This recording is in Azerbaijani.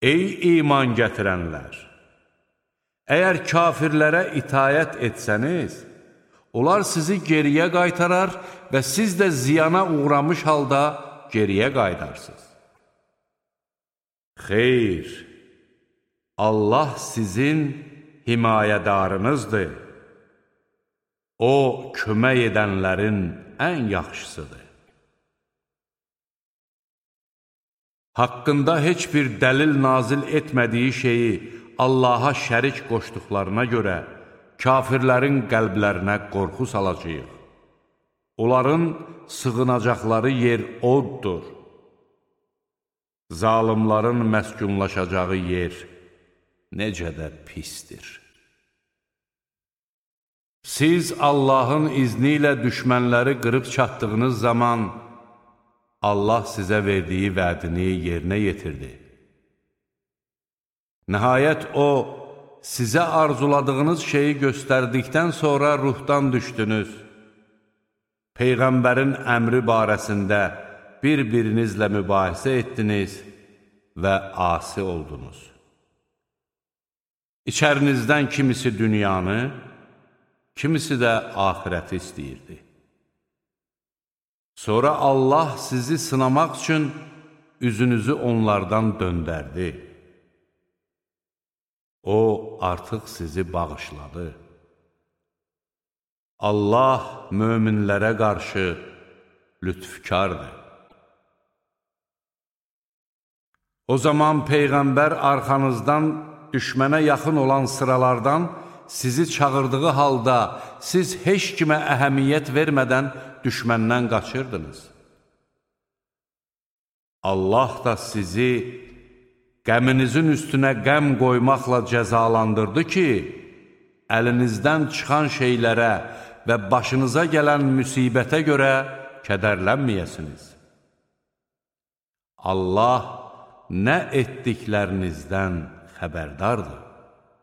Ey iman gətirənlər! Əgər kafirlərə itayət etsəniz, onlar sizi geriyə qaytarar və siz də ziyana uğramış halda geriyə qaydarsınız. Xeyr, Allah sizin himayədarınızdır. O, kömək edənlərin ən yaxşısıdır. Haqqında heç bir dəlil nazil etmədiyi şeyi Allaha şərik qoşduqlarına görə kafirlərin qəlblərinə qorxu salacağıq. Onların sığınacaqları yer oddur. Zalimların məskunlaşacağı yer necə də pisdir. Siz Allahın izni ilə düşmənləri qırıb çatdığınız zaman Allah sizə verdiyi vədini yerinə yetirdi. Nəhayət O, sizə arzuladığınız şeyi göstərdikdən sonra ruhdan düşdünüz. Peyğəmbərin əmri barəsində bir-birinizlə mübahisə etdiniz və asi oldunuz. İçərinizdən kimisi dünyanı, kimisi də axirəti istəyirdi. Sonra Allah sizi sınamaq üçün üzünüzü onlardan döndərdi. O, artıq sizi bağışladı. Allah möminlərə qarşı lütfkardır. O zaman Peyğəmbər arxanızdan düşmənə yaxın olan sıralardan sizi çağırdığı halda siz heç kimə əhəmiyyət vermədən düşməndən qaçırdınız. Allah da sizi qəminizin üstünə qəm qoymaqla cəzalandırdı ki, əlinizdən çıxan şeylərə və başınıza gələn müsibətə görə kədərlənməyəsiniz. Allah nə etdiklərinizdən xəbərdardır.